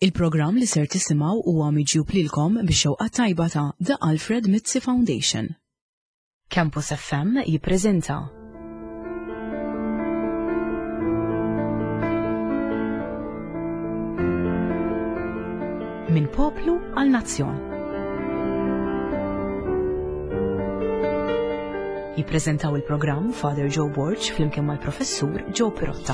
Il-programm li ser tisimgħu huwa miġjub lilkom bix-xewqa tajba ta' The Alfred Mizzi Foundation. Campus FM jippreżenta. Minn poplu għal nazzjon. Jippreżentaw il-programm Father Joe Borg flimkien mal-Professur Joe Pirotta.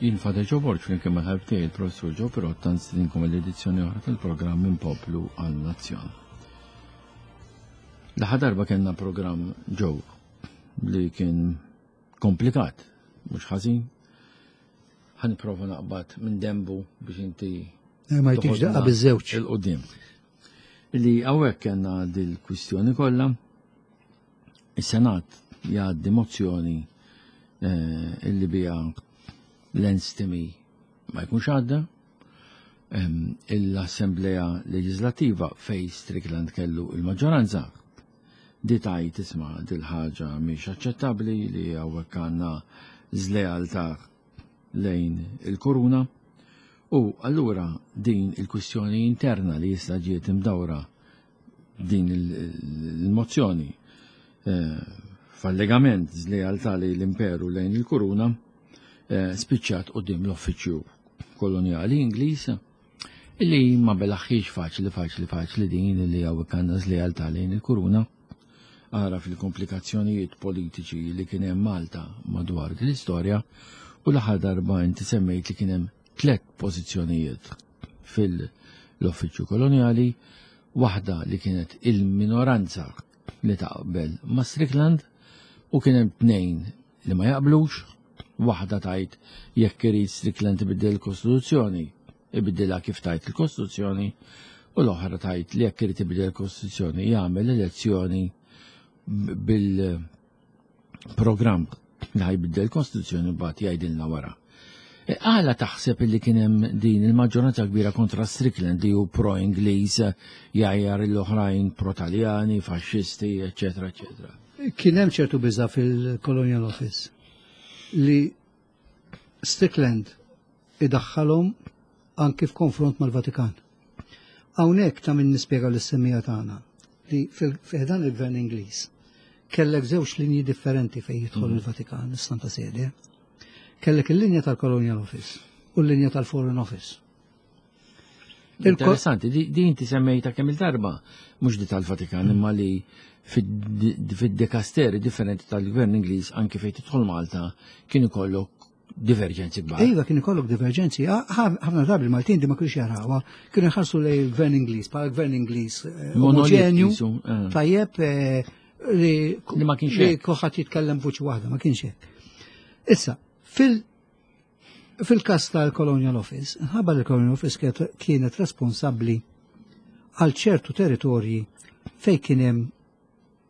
Jien Father Joe Borg flimkien mal-ħabib tiegħi il-Professur Joe Pirotta nstidinkom l-edizzjoni oħra tal-programm minn Poplu għal Nazzjon. L-aħħar darba kellna programm ġew li kien komplikat, mhux ħażin. Ħa nipprova naqbad minn dembu biex inti eh, ma jtix daqqa biż-żewġ. Il-qudiem. Li hawnhekk kellna dil-kwistjoni kollha, is-Senat jgħaddi mozzjoni eh, illi bija l-enstimi ma jkunx għadda, l-Assemblea Leġislattiva fej Strickland kellu il-maġġoranza di tajt isma' dil-ħaġa mhix aċċettabbli li hawnhekk għandna żlealtà lejn il-kuruna u allura din il-kwistjoni interna li issa ġiet imdawra din il-mozzjoni eh, f'allegament żlealtà lejn l-imperu lejn il-kuruna eh, spiċċat qudiem l-uffiċċju kolonjali Ingliż illi ma belaħħiex faċli faċli faċli din li hawnhekk għandna żlealtà lejn il-kuruna. Ara fil-komplikazzjonijiet politiċi li kien hemm Malta madwar din l-istorja u l-aħħar darba inti semmejt li kien hemm tlett pożizzjonijiet fil-uffiċċju kolonjali, waħda li kienet il-minoranza li taqbel ma' Strickland u kien hemm tnejn li ma jaqblux, waħda tajt jekk irid Strickland ibiddel il-Kostituzzjoni, ibiddilha kif tajt il-Kostituzzjoni, u l-oħra tajt li jekk irid ibiddel il-Kostituzzjoni jagħmel elezzjoni bil-programm li ħajbiddel il-Kostituzzjoni mbagħad jgħidilna wara. E, għala taħseb li kien hemm din il-maġġoranza kbira kontra Strickland li hu pro-Ingliż, jgħajjar l-oħrajn pro-Taljani, faxxisti, eċetera, eċetera. Kien hemm ċertu biża fil-Colonial Office li Strickland idaħħalhom anki f'konfront mal-Vatikan. Hawnhekk ta' min nispjega lis-semmija tagħna li fil-dan il-gvern Ingliż kellek żewġ linji differenti fejn jidħol mm. il-Vatikan, is-Santa Sede. Kellek il-linja tal-Colonial Office u l-linja tal-Foreign Office. Interessanti, di inti semmejta kemm il-darba, mhux di tal-Vatikan, imma li fid-dekasteri differenti tal-gvern Ingliż anki fejn tidħol Malta kien ikollok diverġenzi kbar. Iva, kien ikollok diverġenzi. Ħafna drabi il-Maltin di ma kienx jarawha, kienu jħarsu lej il-gvern Ingliż, bħala gvern Ingliż eh, omogenju, eh. tajjeb eh, li ma kienx li kulħadd jitkellem vuċi waħda, ma kienx hekk. Issa, fil fil-kas tal-Colonial Office, nħabba li l-Colonial Office kienet responsabbli għal ċertu territorji fej kien hemm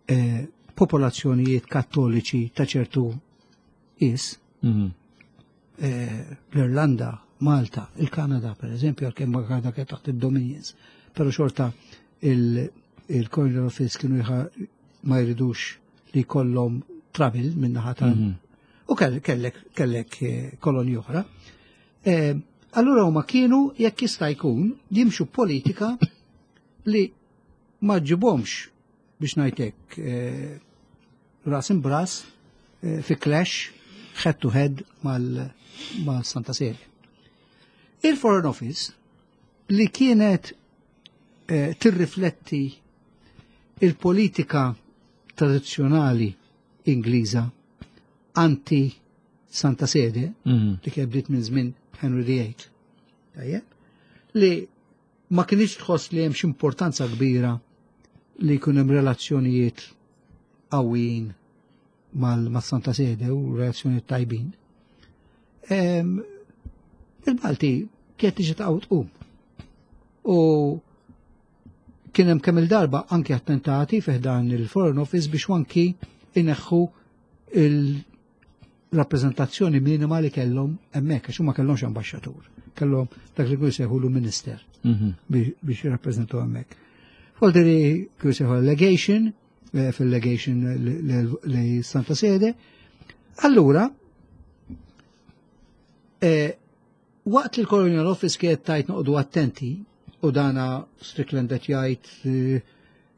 eh, popolazzjonijiet kattoliċi ta' ċertu is, mhm. eh, l-Irlanda, Malta, il-Kanada per eżempju, għalkemm ma Kanada kienet taħt id-Dominions, però xorta il-Colonial Office kienu ma jridux li jkollhom travel minnaħa ta' mhm. U kellek kellek eh, kolonji oħra. Eh, allura huma kienu jekk jista' jkun jimxu politika li ma ġibhomx biex ngħidlek eh, ras imbras fi clash head to head mal-Santa Sede. Il-Foreign Office li kienet eh, tirrifletti il-politika tradizzjonali Ingliża anti Santa Sede, mm. li kien bdiet minn żmien Henry VIII. Tajjeb, li ma kienx tħoss li hemm importanza kbira li jkun hemm relazzjonijiet qawwijin mal-Santa Sede u relazzjonijiet tajbin. Il-Malti kienet tiġi taqgħu tqum. U kien hemm kemm il-darba anki attentati fih dan il-Foreign Office biex anki ineħħu il- rappreżentazzjoni minima li kellhom hemmhekk għax huma kellhomx ambaxxatur, kellhom dak li kienu jsejħulu minister mhm. biex jirrappreżentaw hemmhekk. Folderi kienu jsejħu legation, eh, fil-legation li Santa Sede. Allura, eh, waqt li l-Colonial Office kienet tajt noqdu attenti, u dana Strickland qed jgħid eh,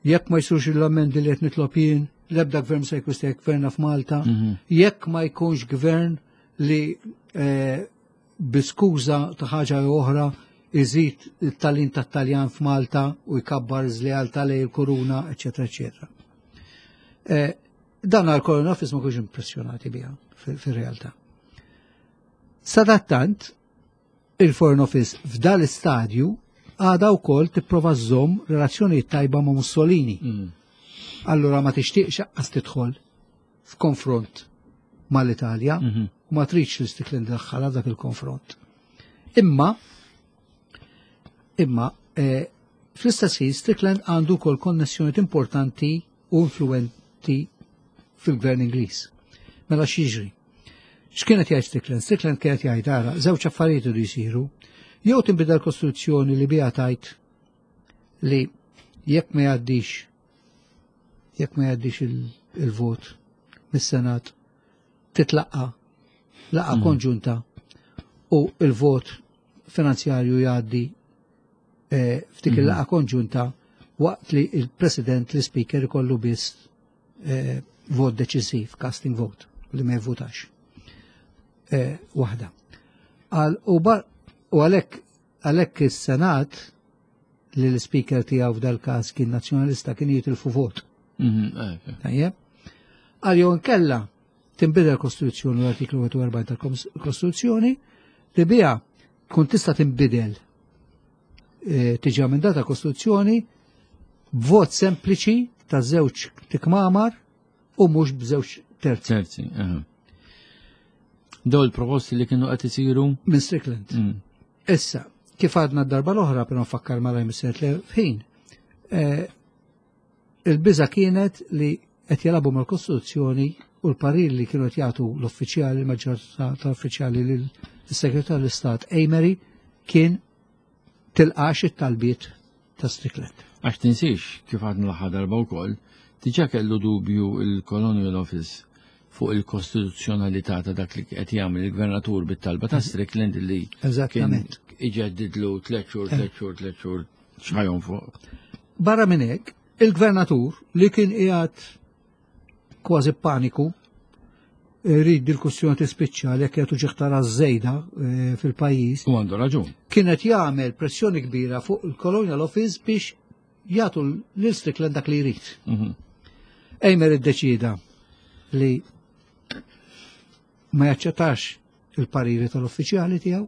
Jekk ma jsirux l-ammendi li qed nitlob jien, l-ebda gvern se jkun se jgverna f'Malta, mhm. jekk ma jkunx gvern li eh, bi skuża ta' ħaġa jew oħra iżid it-talin tat-Taljan f'Malta u jkabbar żlealtà lejn il-kuruna, eċetera, eċetera. Eh, dan għal-Colonial Office ma kienx impressjonati biha fir-realtà. Sadattant, Il-Foreign Office f'dal istadju għadha wkoll tipprova żżomm relazzjonijiet tajba ma' Mussolini. Mm. Allura ma tixtieqx aqqas tidħol f'konfront mal-Italja mm -hmm. u ma tridx li Strickland daħħalha dak il-konfront. Imma imma eh, fl-istess ħin Strickland għandu wkoll konnessjonijiet importanti u influenti fil-gvern Ingliż. Mela x'jiġri? X'kienet jgħid Strickland? Strickland kienet jgħid ara, żewġ affarijiet iridu jsiru. Jew tinbidel kostituzzjoni li biha tajt li jekk ma jgħaddix jekk ma jgħaddix il-vot mis-Senat titlaqqa laqa mm. konġunta u il-vot finanzjarju jgħaddi eh, f'dik mm. il-laqa konġunta waqt li il-President, l-Speaker ikollu biss eh, vot deċiżiv, casting vote, li ma jivvutax. Eh, waħda. U għalhekk għalhekk is-Senat li l-speaker tiegħu f'dal każ kien nazzjonalista kien jitilfu vot. Mhm, eh, Tajjeb. Għal jew inkella tinbidel kostituzzjoni l-artiklu 41 tal-Kostituzzjoni li biha tkun tista' tinbidel eh, tiġi amendata kostituzzjoni b'vot sempliċi ta' żewġ tikmamar u mhux b'żewġ terzi. Terzi, Daw il-proposti li kienu qed isiru minn Strickland. Mm. Issa, kif għadna d-darba l-oħra, però nfakkar malaj mis-sert li ħin, eh, il-biża kienet li qed jelabu mal-Kostituzzjoni u l-parir li kienu qed jagħtu l-uffiċjali, il-maġġoranza tal-uffiċjali lill-Segretarju tal-Istat Amery kien tilqax it-talbiet ta' Strickland. Għax tinsiex, kif għadna l-aħħar darba wkoll, diġà kellu dubju il-Colonial Office fuq il-kostituzzjonalità ta' dak li qed jagħmel il-gvernatur bit-talba ta' Strickland li kien iġeddidlu tliet xhur, tliet xhur, tliet xhur x'ħajhom fuq. Barra minn hekk, il-gvernatur li kien qiegħed kważi paniku, rrid dil-kwestjoni tispiċċa li jekk jagħtu ġiħtara żejda eh, fil-pajjiż. U għandu raġun. Kienet jagħmel pressjoni kbira fuq il-Colonial Office biex jagħtu lil Strickland dak li jrid. Mhm. Ejmer iddeċida li ma jaċċettax il-pariri tal-uffiċjali tiegħu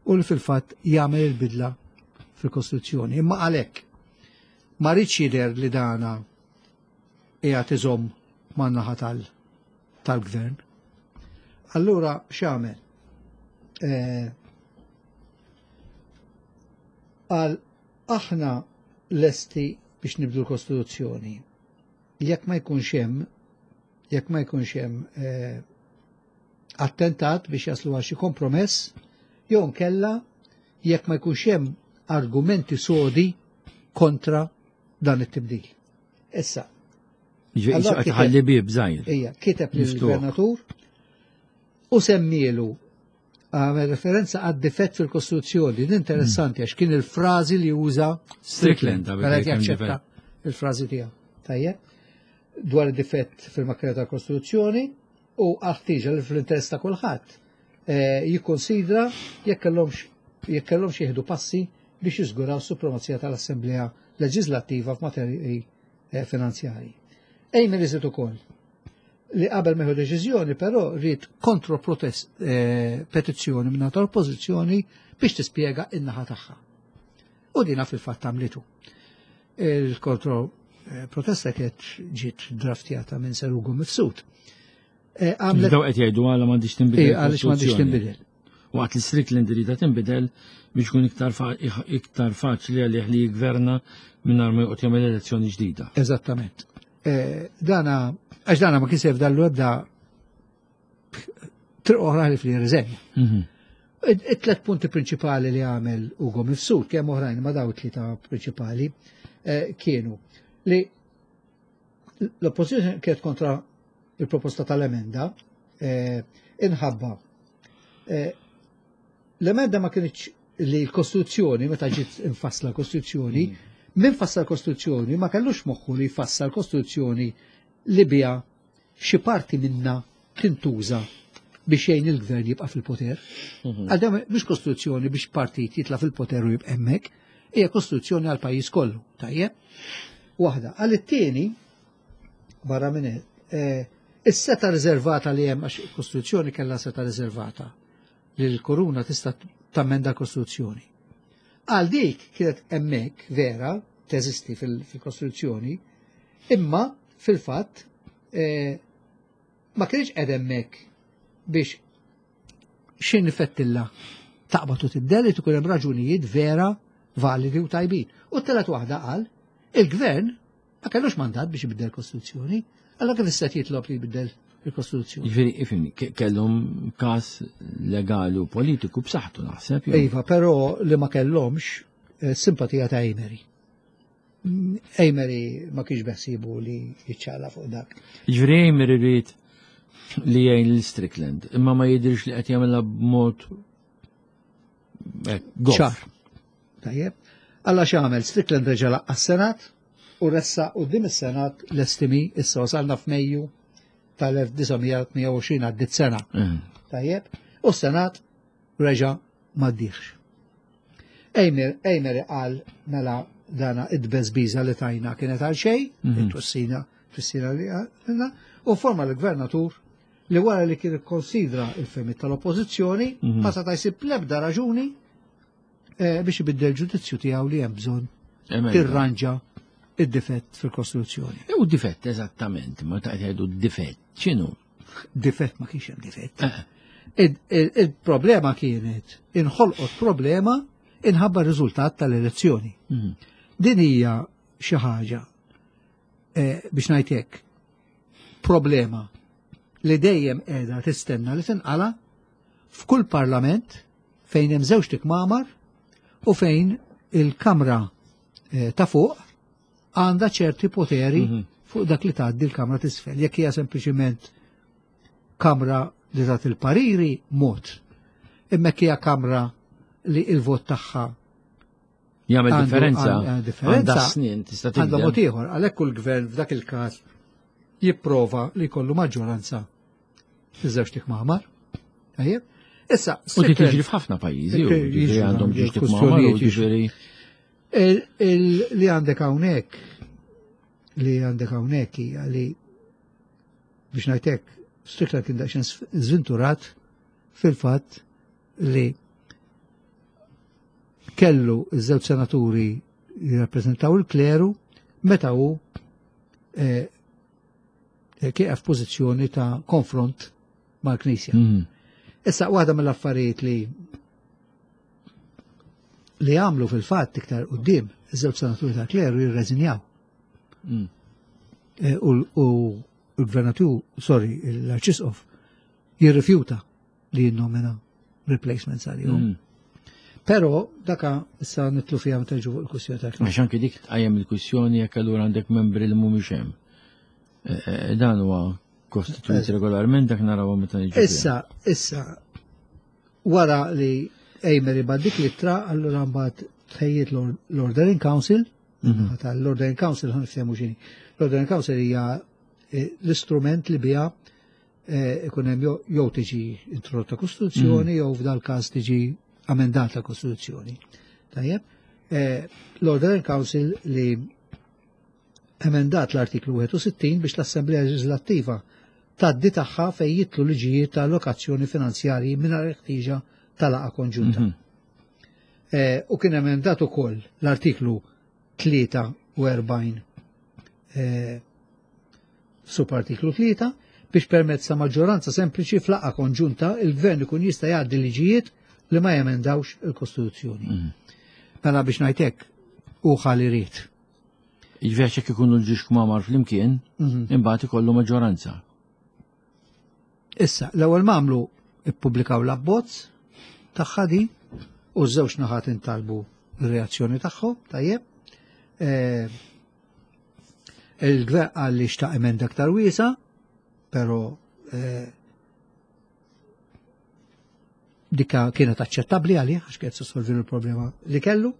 u li fil-fatt jagħmel il-bidla fil-Kostituzzjoni. Imma għalhekk ma rridx jidher li dana qiegħed iżomm man-naħa tal-gvern. Allura x'għamel? Eh, għal aħna lesti biex nibdu l-Kostituzzjoni. Jekk ma jkunx hemm jekk ma jkunx hemm eh, attentat biex jaslu għal xi kompromess, jew nkella jekk ma jkunx hemm argumenti sodi kontra dan it-tibdil. Issa. Ġifieri bib żgħir. Ija, kiteb lill-gvernatur u semmielu għamel referenza għad difett fil-Kostituzzjoni. Din interessanti għax kien il-frażi li uża Strickland. Mela jaċċetta il-frażi tiegħu. Tajjeb. Dwar id-difett fil-makkina tal-Kostituzzjoni u għal-ħtieġa li fl-interess ta' kulħadd eh, jikkonsidra jekk kellhomx jekk kellhomx jieħdu passi biex jiżguraw supremazija tal-Assemblea Leġislattiva f'materji eh, finanzjarji. Ejmen iżid ukoll li qabel meħu deċiżjoni però rrid kontro-protest eh, petizzjoni minn tal-oppożizzjoni biex tispjega in-naħa tagħha. U dina fil-fatt għamlitu. Il-kontro eh, protesta kienet ġiet draftjata minn Serugu Mifsud. Għamlet. Daw qed jgħidu għala m'għandix tinbidel. Għaliex m'għandix tinbidel. Waqt li Strickland irida tinbidel biex ikun iktar iktar faċli għalih li jgverna mingħajr ma joqgħod jagħmel elezzjoni ġdida. Eżattament. Eh, dana, għax dana ma kisef dallu ebda triq oħra li fli-riżenja. It-tlet punti prinċipali li għamel Ugo Mifsud, kemm oħrajn ma daw tlieta prinċipali, eh, kienu li l-oppożizzjoni kienet kontra il-proposta tal-emenda eh, inħabba eh, l-emenda ma kienx li l-Kostituzzjoni, meta ġiet infassla l-Kostituzzjoni, min fassla l-Kostituzzjoni ma kellux moħħu li jfassal l-Kostituzzjoni li biha xi parti minna tintuża biex jgħin il-gvern jibqa' fil-poter. Mhm. Għal dan mhux kostituzzjoni biex partit jitla' fil-poter u jibqa' hemmhekk, hija kostituzzjoni għal pajjiż kollu, tajjeb? Waħda, għal it-tieni barra minn hekk, eh, is-seta riservata li hemm għax il-Kostituzzjoni kellha seta riservata li l-koruna tista' tammenda l-Kostituzzjoni. Għal dik kienet hemmhekk vera teżisti fil-Kostituzzjoni, imma fil-fatt eh, ma kienx qed hemmhekk biex x'in ifettilla taqbad u tibdel li tkun hemm raġunijiet vera validi u tajbin. U t-telet waħda qal il-gvern ma kellux mandat biex ibiddel kostituzzjoni, allora kif issa jitlob li jbiddel il-kostituzzjoni. Ġifieri, ifhimni, kellhom każ legali u politiku b'saħħtu naħseb. Iva, però li ma kellhomx eh, simpatija ta' Amery. Amery ma kienx beħsibu li jiċċala fuq dak. Ġifieri Amery rrid li jgħin lil Strickland, imma ma jidhirx li qed jagħmilha b'mod eh, ċar. Tajjeb. Alla x'għamel Strickland reġa' laqqa' s-Senat u ressa quddiem is-Senat l-estimi issa wasalna f'Mejju tal-1928 għaddit sena. Mm. Tajjeb. U s-Senat reġa' m'għaddiex. Ejmer, Ejmer qal mela dana id-beżbiża li tajna kienet għal xejn, mhm. it-twissina, twissina li għalna, u forma l-gvernatur li wara li kien ikkonsidra il-fehmiet tal-oppożizzjoni mhm. ma seta' jsib l-ebda raġuni eh, biex ibiddel ġudizzju tiegħu li hemm bżonn tirranġa id-difett fil-Kostituzzjoni. U difett eżattament, ma ta' jgħidu difett, x'inhu? Difett ma kienx hemm difett. Eh. Il-problema kienet inħolqot problema inħabba r-riżultat tal-elezzjoni. Mhm. Din hija xi ħaġa eh, biex ngħid hekk problema li dejjem qiegħda tistenna li tinqala f'kull parlament fejn hemm żewġ tikmamar u fejn il-kamra eh, ta' fuq għandha ċerti poteri mhm. fuq dak li tgħaddi l-kamra t'isfel. Jekk hija sempliċiment kamra li tagħti il-pariri, mod. Imma jekk hija kamra li il-vot tagħha jagħmel differenza, differenza snin tista' Għandha mod ieħor, għalhekk kull gvern f'dak il-każ jipprova li jkollu maġġoranza fiż-żewġ tikmamar. Tajjeb? Issa, u tiġri f'ħafna pajjiżi, jiġri għandhom ġiex tikmamar u jiġri. Li għandek hawnhekk li għandek hawnhekk hija li biex ngħidlek Strickland kien daqsxejn żvinturat fil-fatt li kellu iż-żewġ senaturi jirrappreżentaw il-kleru meta hu eh, eh, kieqaf pożizzjoni ta' konfront mal-Knisja. Mm. Issa waħda mill-affarijiet li li għamlu fil-fatt iktar qudiem iż-żewġ senaturi ta' kleru jirreżinjaw. Mm. Eh, u l-gvernatur, sorry, l-arċisqof, jirrifjuta li jinnomina replacements għalihom. Mm. Pero daka issa nitlu fiha meta fuq il-kwistjoni ta' Għax anke dik tqajjem il-kwistjoni jekk allura għandek membri li mhumiex hemm. Eh, eh, dan huwa kostituit regolarment dak naraw meta niġu. Issa, issa, wara li Ejmer ibad dik l-ittra, allura mbagħad tħejjiet l-Ordering Council, mhm. l-Ordering Council ħan niftehmu x'inhi. L-Ordering Council hija eh, l-istrument li biha eh, ikun hemm jew tiġi introdotta kostituzzjoni mhm. jew f'dal każ tiġi amendata kostituzzjoni. Tajjeb, eh, l-Ordering Council li emendat l-artiklu 61 biex l-Assemblea Leġislattiva tgħaddi tagħha fejn jitlu liġijiet ta' allokazzjoni finanzjarji mingħajr ħtieġa ta' laqgħa konġunta. Mm -hmm. eh, u kien emendat ukoll l-artiklu 43 eh, subartiklu 3 biex permezz ta' maġġoranza sempliċi f'laqgħa konġunta il-gvern ikun jista' jgħaddi liġijiet li ma jemendawx il-Kostituzzjoni. Mm. Mela biex ngħidlek u ħalli ried. Jiġifieri għax jekk ikunu l-ġiex kmamar flimkien, mhm. imbagħad ikollu maġġoranza. Issa, l-ewwel m'għamlu Ippubblikaw l-abbozz tagħha di u ż-żewġ naħat intalbu r-reazzjoni tagħhom, tajjeb. Eh, il-gvern qal li xtaq emenda aktar wiesa, però eh, dika kienet aċċettabbli għalih għax kienet solvi l-problema li kellu,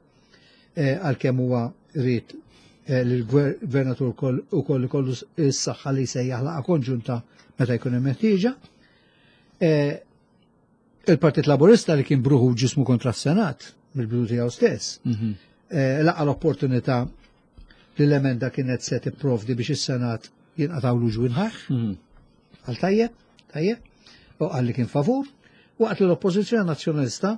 eh, għalkemm huwa rrid eh, li l-gvernatur ukoll ikollu s-saħħa li jsejjaħ laqa konġunta meta jkun hemm ħtieġa. Eh, il-Partit Laburista li kien bruħu ġismu kontra s-Senat mill-bidu tiegħu stess, mhm. laqa l-opportunità li l-emenda kienet se tipprovdi biex is-Senat jinqatgħu ġwinħaħ. Mhm. Għal tajjeb, tajjeb, u qal li kien favur, waqt li l-Oppożizzjoni Nazzjonalista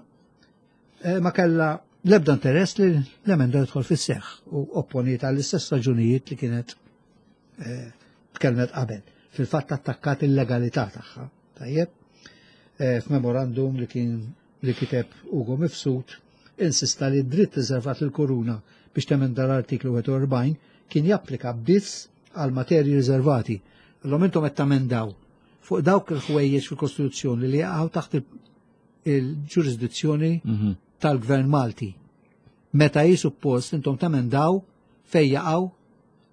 eh, ma kellha l-ebda interess li l-emenda tidħol fis-seħħ u opponiet għall-istess raġunijiet li kienet eh, tkellmet qabel. Fil-fatt attakkat il-legalità tagħha. Tajjeb, eh, f'memorandum li kien li kiteb Ugo Mifsud insista li d-dritt riservat lill-Kuruna biex temenda l-artiklu 41 kien japplika biss għal materji riservati. Illum intom qed tamendaw fuq dawk il-ħwejjeġ fil-Kostituzzjoni li jaqgħu taħt il-ġurisdizzjoni mhm. tal-Gvern Malti. Meta hi suppost intom tamendaw fejn jaqgħu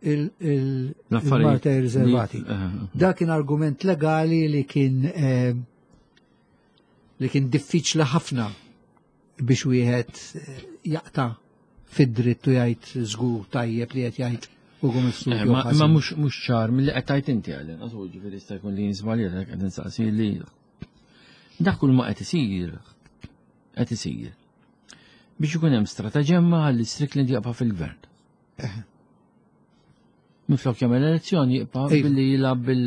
il-materji riservati. Eh, eh. Dak kien argument legali li kien eh, li kien diffiċli ħafna biex wieħed eh, jaqta' fid-dritt u jgħid żgur tajjeb li qed jgħid u għum eh, Ma mhux ċar milli qed tgħid inti għalin, għażu ġifieri jista' jkun li jinżbaljat qed insaqsi li dak kull ma qed isir qed isir biex ikun hemm strataġemma għall Strickland jaqpa' fil-gvern. Eh. Minflok jagħmel elezzjoni jibqa' billi jilgħab bil.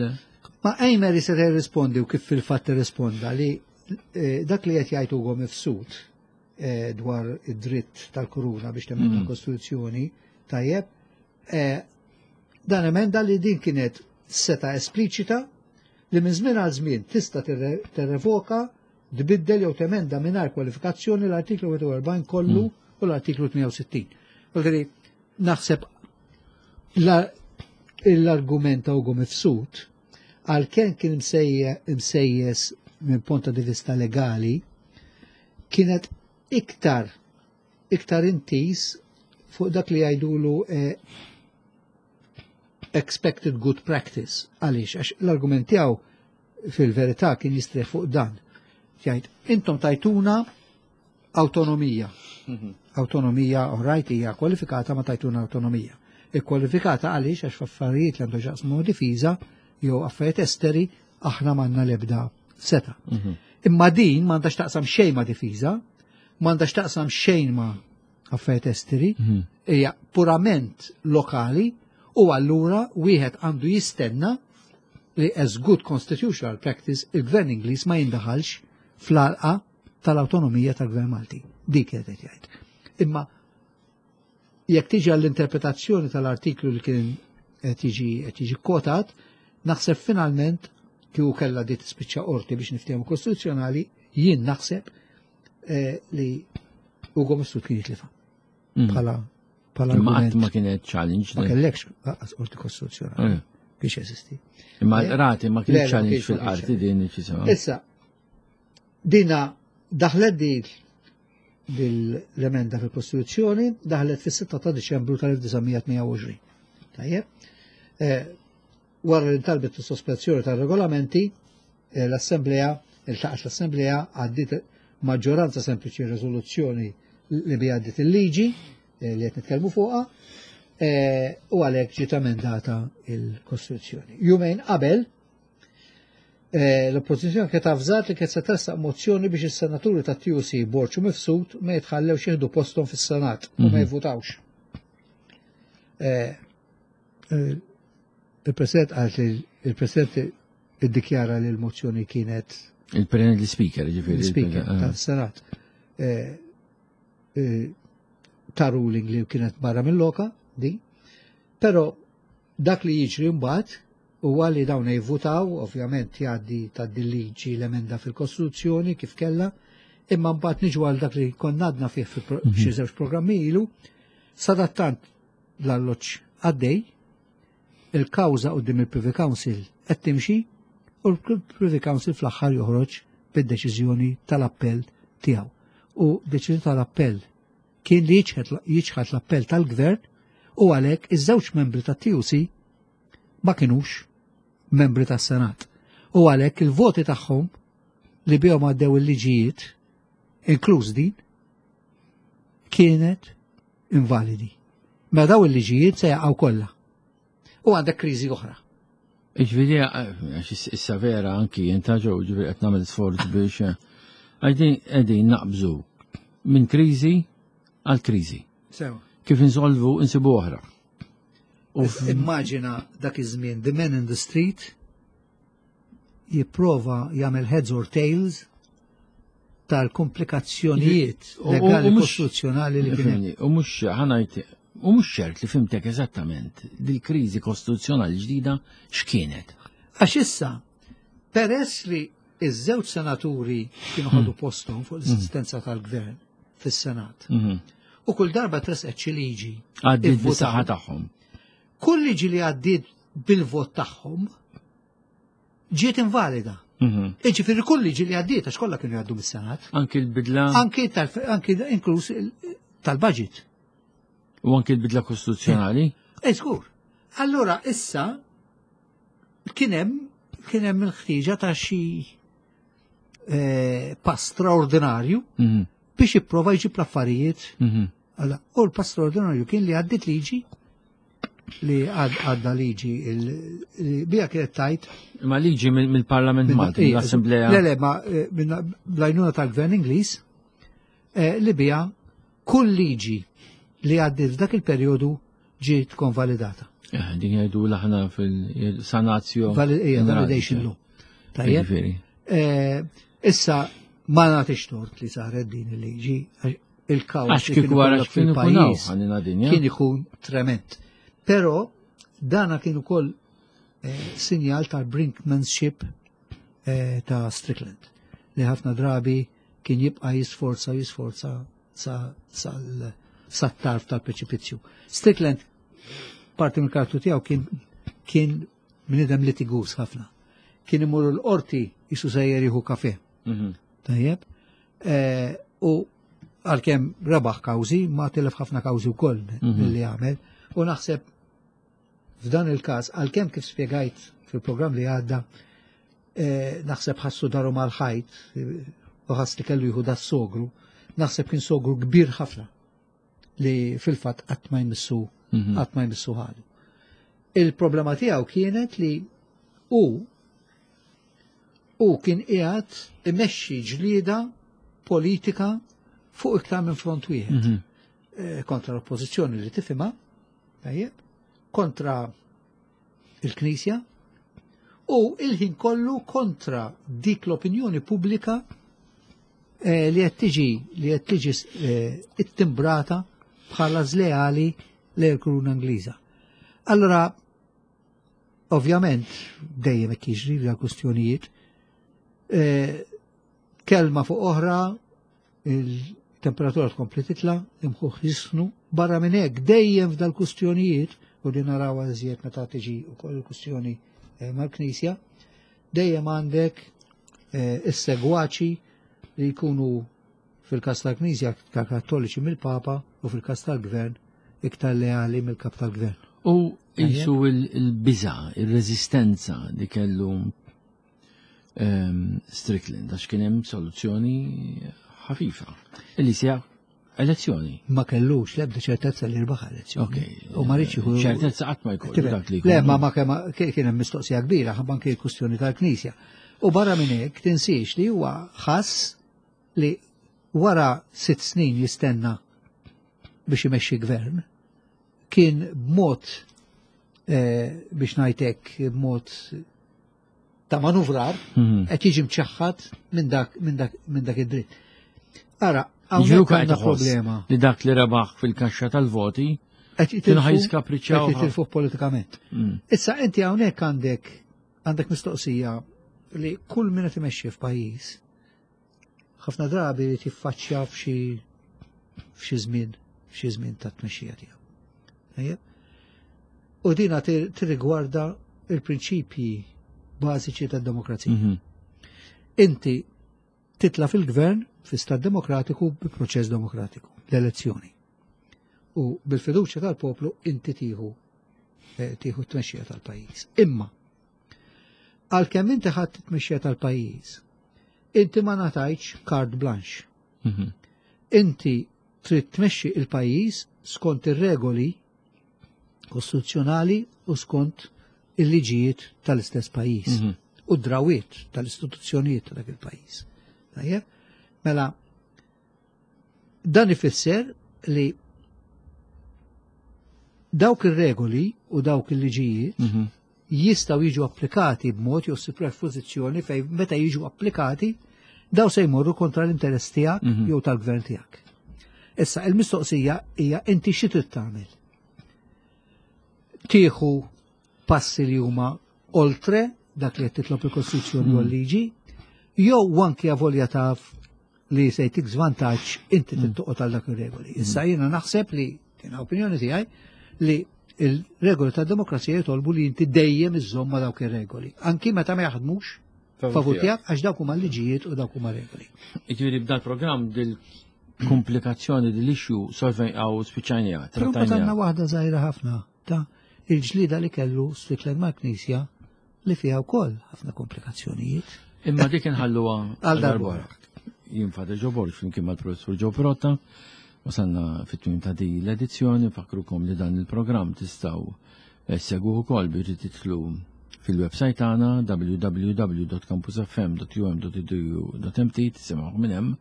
Ma Ejmer se jirrispondi u kif fil-fatt irrisponda li eh, dak li qed jgħid Ugo Mifsud eh, dwar id-dritt tal-kuruna biex temmen l-Kostituzzjoni tajjeb, eh, dan emenda li din kienet seta espliċita li minn żmien għal żmien tista' tirrevoka tbiddel jew temenda mingħajr kwalifikazzjoni l-artiklu 41 kollu u l-artiklu 68. Vuol naħseb l-argument ta' Ugo Mifsud għalkemm kien imsejjes minn punta di vista legali kienet iktar iktar intis fuq dak li jgħidulu eh, expected good practice. Għaliex, għax l-argument tiegħu fil-verità kien jistrieħ fuq dan. Jgħid, intom tajtuna Awtonomija. Mhm. Awtonomija, all hija kwalifikata ma tajtuna awtonomija. Ikkwalifikata għaliex għax f'affarijiet li għandu xaqsmu difiża jew affarijiet esteri aħna m'għandna l-ebda seta. Mhm. Imma din m'għandax taqsam xejn ma' difiża, m'għandax taqsam xejn ma' affarijiet esteri, mhm. hija purament lokali u allura wieħed għandu jistenna li as good constitutional practice il-gvern Ingliż ma jindaħalx fl-għalqa tal-awtonomija tal-Gvern Malti. Dik qed jgħid. Imma jekk tiġi għall-interpretazzjoni tal-artiklu li kien qed jiġi qed jiġi kwotat, naħseb finalment kieku kellha di tispiċċa qorti biex niftehmu kostituzzjonali, jien naħseb eh, li Ugo Mifsud kien jitlifa. Mm. Bħala bħala Ma qatt ma kienet challenge. Ma kellekx qas qorti kostituzzjonali. Eh. Biex jeżisti. Imma eh, rati ma kienet challenge fil-qarti din Issa, Dina daħlet din l-emenda fil-Kostituzzjoni daħlet fis-6 ta' Diċembru tal-1928. Tajjeb. Eh, wara li talbet is-sospensjoni tar-regolamenti, eh, l-Assemblea, iltaqgħet l-Assemblea għaddiet maġġoranza sempliċi riżoluzzjoni li bi għaddiet il-liġi eh, li qed nitkellmu fuqha u għalhekk ġiet emendata il-Kostituzzjoni. Jumejn qabel Eh, l-Oppożizzjoni kienet avżat li kienet se tressaq mozzjoni biex is-senaturi ta' TUC Borg u Mifsud ma jitħallewx jieħdu posthom fis-Senat u ma mhm. jivvutawx. Eh, eh, il-President qalt li il-President iddikjara li l-mozzjoni kienet Il-President l-Speaker, ġifieri. L-Speaker tas-Senat. Ta' ruling li kienet barra mill-loka, di. Però Dak li jiġri mbagħad huwa li dawn jivvutaw, ovvjament jgħaddi tgħaddi l-liġi l-emenda fil-Kostituzzjoni kif kellha, imma mbagħad niġu għal dak li konna għadna fih fi mhm. xi żewġ programmi ilu, sadattant l-alloġġ għaddej, il-kawża quddiem il-Privy Council qed timxi u l-Privy Council fl-aħħar joħroġ bid-deċiżjoni tal-appell tiegħu. U deċiżjoni tal-appell kien li jiċħad l-appell tal-gvern u għalhekk iż-żewġ membri tat-TUC ma kinux membri tas-Senat. U għalhekk il-voti tagħhom li bihom għaddew il-liġijiet, inkluż din, kienet invalidi. Mela daw il-liġijiet se jaqgħu kollha. U għandek kriżi oħra. Ġifieri, għax issa vera anki jenta ġew, ġifieri qed nagħmel sforz biex għajdin qegħdin naqbżu minn kriżi għal kriżi. Sewa. Kif insolvu insibu oħra. U immaġina dak iż-żmien the man in the street jipprova jagħmel heads or tails tal-komplikazzjonijiet legali kostituzzjonali li kien. U mhux ħanajt u mhux ċert li fimtek eżattament dil-kriżi kostituzzjonali ġdida x'kienet. Għax issa, peress li iż-żewġ senaturi kienu ħadu hmm. posthom fuq l-assistenza tal-gvern fis-Senat. Mhm. U kull darba tresqet xi liġi. Għaddiet bis-saħħa tagħhom. Kull liġi li għaddiet bil-vot tagħhom ġiet invalida. Mhm. Iġifieri kull liġi li għaddiet għax kollha kienu jgħaddu mis-Senat. Anki l-bidla. Anki anki inkluż tal-budget. U anki l-bidla kostituzzjonali? Eh, żgur. Allura issa kien hemm kien hemm il-ħtieġa ta' xi eh, pass straordinarju mhm. biex jipprova jġib l-affarijiet. Mhm. U l-pass straordinarju kien li għaddit liġi li għadda liġi li bija kienet tajt. Ma liġi mill-Parlament Malti, mill-Assemblea. Le, le, ma eh, bl-għajnuna tal-Gvern Ingliż eh, li bija kull liġi li għaddit f'dak il-perjodu ġiet konvalidata. Eh, din jgħidu l-aħna fil-sanazio. Validation law. Tajjeb. Issa ma nagħtix tort li saret din il-liġi il-kaos li kien wara fil-pajjiż kien ikun trement. Però dana kien ukoll eh, sinjal tal-brinkmanship eh, ta' Strickland li ħafna drabi kien jibqa' jisforza jisforza sa tarf tal-preċipizzju. Strickland parti mill-karattru tiegħu kien kien bniedem litigus ħafna. Kien imur l-qorti jisu sejjer jieħu kafe. Mhm. Tajjeb. Eh, u għalkemm rebaħ kawżi, ma tilef ħafna kawżi wkoll mhm. milli għamel. U naħseb f'dan il-każ, għalkemm kif spjegajt fil-programm li għadda, eh, naħseb ħassu daru mal-ħajt u ħass li kellu jieħu da sogru, naħseb kien sogru kbir ħafna li fil-fatt qatt ma jmissu mhm. qatt ma jmissu ħadu. Il-problema tiegħu kienet li hu Hu kien qiegħed imexxi ġlieda politika fuq iktar minn front wieħed. Mhm. Eh, kontra l-oppożizzjoni li tifhimha, tajjeb, kontra il-Knisja u il-ħin kollu kontra dik l-opinjoni pubblika eh, li qed tiġi li qed tiġi eh, ittimbrata bħala żleali lejn il-Kuruna Ingliża. Allora Ovvjament, dejjem hekk jiġri f'dan kwistjonijiet. E, kelma fuq oħra, il-temperatura tkompli titla, imħuħ jisħnu, barra minn hekk dejjem f'dal kwistjonijiet u li naraw iżjed meta tiġi wkoll il-kwistjoni e, mal-Knisja, dejjem għandek e, is-segwaċi li jkunu fil-każ tal-Knisja iktar kattoliċi mill-Papa u fil-każ tal-Gvern iktar leali mill-kap tal-Gvern. U jisu il-biża, il-reżistenza li kellu ehm, Strickland, għax kien hemm soluzzjoni ħafifa. Illi sija elezzjoni. Ma kellux l-ebda ċertezza li rbaħ elezzjoni. U ma rridx jieħu. Ċertezza qatt ma jkollu dak li. Le, ma ma kien hemm mistoqsija kbira ħabba anke l-kwistjoni tal-Knisja. U barra minn hekk tinsiex li huwa ħass li wara sitt snin jistenna biex imexxi gvern, kien b'mod eh, biex ngħidlek b'mod ta' manuvrar mhm. qed jiġi mċaħħad minn dak minn dak minn dak id-dritt. Ara, hawnhekk għandna problema. Li dak li rebaħ fil-kaxxa tal-voti qed jitilfu jitilfu politikament. Mm. Issa inti hawnhekk għandek għandek mistoqsija li kull min qed imexxi f'pajjiż ħafna drabi li tiffaċċja f'xi f'xi żmien f'xi żmien ta' tmexxija tiegħu. Tajjeb? U dina tirrigwarda il-prinċipji bażiċi tad-demokrazija. Mhm. Inti Titla fil-gvern fi stat demokratiku bi proċess demokratiku, l-elezzjoni. U bil-fiduċja tal-poplu inti tieħu eh, tieħu t-tmexxija tal-pajjiż. Imma għalkemm inti ħadd t-tmexxija tal-pajjiż, inti ma ngħatajtx carte blanche. Inti trid tmexxi il-pajjiż skont ir-regoli kostituzzjonali u skont il-liġijiet tal-istess pajjiż u d-drawiet tal-istituzzjonijiet ta' dak il-pajjiż. Tajjeb? Mela, dan ifisser li dawk ir-regoli u dawk il-liġijiet jistgħu jiġu applikati b'mod jew ssib pożizzjoni fejn meta jiġu applikati daw se jmorru kontra l-interess tiegħek jew tal-gvern tiegħek. Issa il-mistoqsija hija inti xi trid tagħmel? Tieħu passi li huma oltre dak li qed titlob il-Kostituzzjoni u l-liġi, jew anki avolja taf li se jtik żvantaġġ inti trid toqgħod għal dak ir-regoli. Issa jiena naħseb li tina opinjoni tiegħi li il-regoli tad demokrazija jitolbu li inti dejjem iżżomm ma' dawk ir-regoli. Anki meta ma jaħdmux favur tiegħek għax dawk huma liġijiet u dawk huma regoli. Jiġifieri b'dal programm dil-komplikazzjoni dil-issue solvej għaw spiċċajnija. Però għandna waħda żgħira ħafna ta' il-ġlida li kellu Strickland mal-Knisja li fiha wkoll ħafna komplikazzjonijiet. Imma dik inħalluha Għal darb'oħra. Jien Father Joe Borg flimkien mal-Professur Joe Pirotta. Wasalna fit-tmiem ta' din l-edizzjoni, nfakrukom li dan il-programm tistgħu segwuh ukoll biex titlu fil-website tagħna www.campusfm.um.edu.mt tisimgħu minn hemm.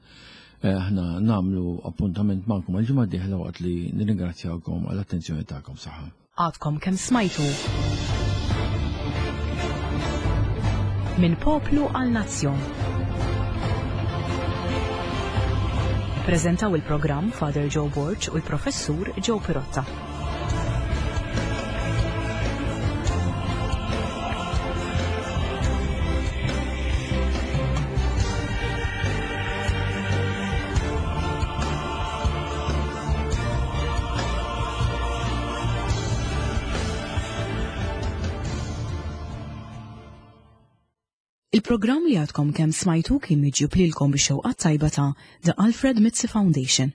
Aħna nagħmlu appuntament magħkom għal-ġimgħa d-dieħla waqt li nirringrazzjawkom għall-attenzjoni tagħkom saħħa. Għadkom kemm smajtu. Minn poplu għal nazzjon. Prezentaw il-programm Father Joe Borg u l-Professur Joe Pirotta. Il-programm li għadkom kemm smajtu kien miġjub lilkom bix-xewqa tajba ta' The Alfred Mizzi Foundation.